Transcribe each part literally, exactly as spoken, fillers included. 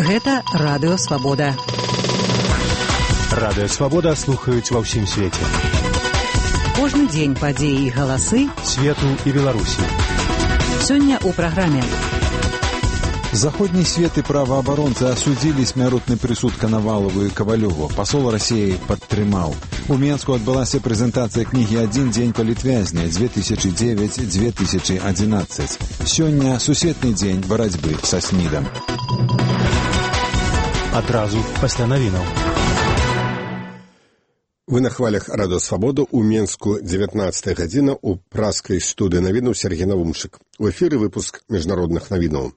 Гэта Радыё Свабода. Радыё Свабода слухаюць ва ўсім свеце. Кожны дзень падзеі і галасы свету і Беларусі. Сёння ў праграме. Заходний свет и правооборонцы осудили смяротный присуд Коновалову и Ковалеву. Посол России подтримал. У Менску отбылась презентация книги «Один день политвязня» две тысячи девять — две тысячи одиннадцать. Сегодня сусветный день борьбы со СНИДом. Адразу пасля навінаў. Вы на хвалях Радыё Свабода. У Менску дзевятнадцатая гадзіна, у праскай студыі навінаў Сергей Навумчык. У эфіры выпуск міжнародных навінаў.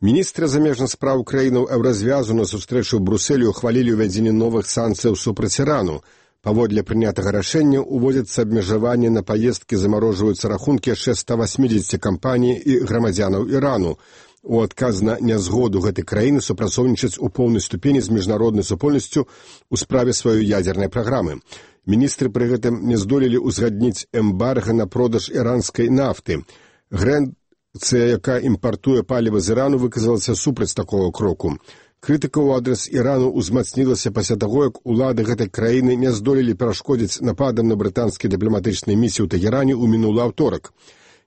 Міністры замежных спраў краінаў Еўразвязу на сустрэчу ў Брусэлі ухвалілі ўвядзенне новых санкцыяў супраць Ірану. Паводле прынятага рашэння уводзяцца абмежаванні на паездкі, замарожваюцца рахункі яшчэ ста васьмідзесяці кампаній і грамадзянаў Ірану. У адказ на нязгоду гэтай краіны супрацоўнічаць у поўнай ступені з міжнароднай супольнасцю ў справе сваёй ядзернай праграмы. Міністры пры гэтым не здолелі ўзгадніць эмбарга на продаж іранскай нафты. Грэнцыя, якая імпартуе паліва з Ірану, выказалася супраць такого кроку. Крытыка ў адрас Ірану ўзмацнілася пасля таго, як улады гэтай краіны не здолелі перашкодзіць нападам на брытанскія дыпламатычныя місіі ў Тэгеране ў мінулы аўторак.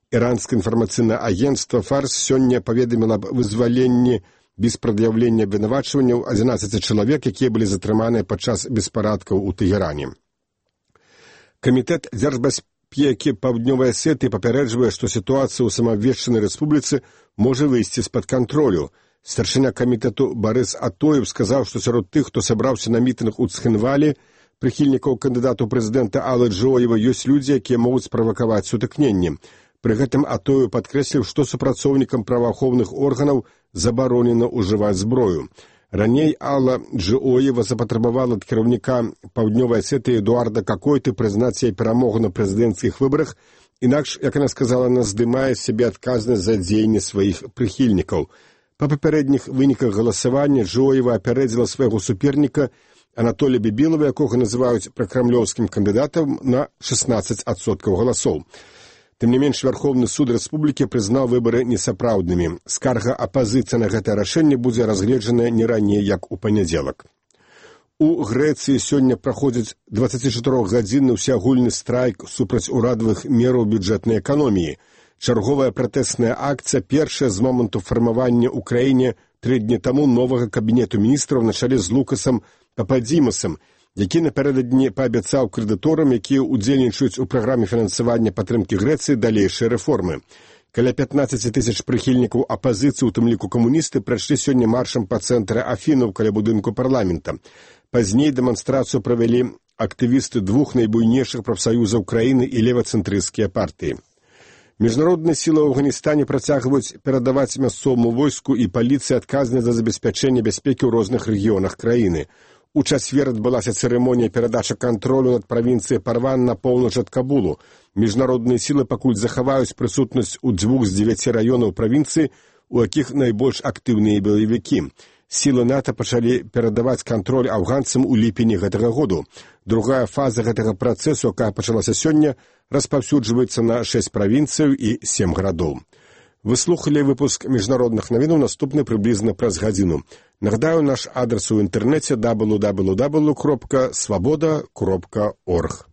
Іранскае інфармацыйнае агенцтва «Фарс» сёння паведаміла аб вызваленні без прад'яўлення абвінавачванняў адзінаццаці чалавек, якія былі затрыманыя падчас беспарадкаў у Тэгеране. Камітэт дзяржбяспекі Паўднёвай Асетыі папярэджвае, што сітуацыя ў самаабвешчанай рэспубліцы можа выйсці з-пад кантролю. Старшыня камітэту Барыс Атоев сказаў, што сярод тых, хто сабраўся на мітынг у Цхінвалі, прыхільнікаў кандыдату прэзідэнта Аллы Джоева, ёсць людзі, якія могуць справакаваць сутыкненні. Пры гэтым Атоев падкрэсліў, што супрацоўнікам праваахоўных органаў забаронена ўжываць зброю. Раней Алла Джоева запатрабавала ад кіраўніка Паўднёвай Асетыі Эдуарда Какойты прызнаць яе перамогу на прэзідэнцкіх выбарах, інакш, як яна сказала, она здымае з сябе адказнасць за дзеянні сваіх прыхільнікаў. Па папярэдніх выніках галасавання Джоева апярэдзіла свайго суперніка Анатолія Бібілава, якога называюць пракрамлёўскім кандыдатам, на шэснаццаць адсоткаў галасоў. Тым не менш, Вярхоўны суд рэспублікі прызнаў выбары несапраўднымі. Скарга апазіцыі на гэтае рашэнне будзе разгледжаная не раней, як у панядзелак. У Грэцыі сёння праходзіць дваццацічатырохгадзінны ўсеагульны страйк супраць урадавых мераў бюджэтнай эканоміі. Чарговая пратэсная акцыя першая з моманту фармавання ў краіне тры дні таму новага кабінету міністраў на чале з Лукасам Пападзімасам, які напярэдадні паабяцаў крэдыторам, якія ўдзельнічаюць у праграме фінансавання падтрымкі Грэцыі, далейшыя рэформы. Каля пятнаццаць тысяч прыхільнікаў апазіцыі, у тым ліку камуністы, прайшлі сёння маршам па цэнтры Афінаў каля будынку парламента. Пазней дэманстрацыю правялі актывісты двух найбуйнейшых прафсаюзаў краіны і левацэнтрысцкія партыі. Міжнародныя сілы ў Афганістане працягваюць перадаваць мясцоваму войску і паліцыі адказныя за забеспячэнне бяспекі ў розных рэгіёнах краіны. У чацвер адбылася цырымонія перадачы кантролю над правінцыяй Парван на поўнач ад Кабулу. Міжнародныя сілы пакуль захаваюць прысутнасць у дзвюх з дзевяці раёнаў правінцыі, у якіх найбольш актыўныя баевікі. Сілы НАТО пачалі перадаваць кантроль афганцам у ліпені гэтага году. Другая фаза гэтага працэсу, якая пачалася сёння, распаўсюджваецца на шэсць правінцыяў і сем гарадоў. Вы слухалі выпуск міжнародных навінаў, наступны прыблізна праз гадзіну. Нагадаю, наш адрес у інтэрнэце дабл ю дабл ю дабл ю кропка свабода кропка орг.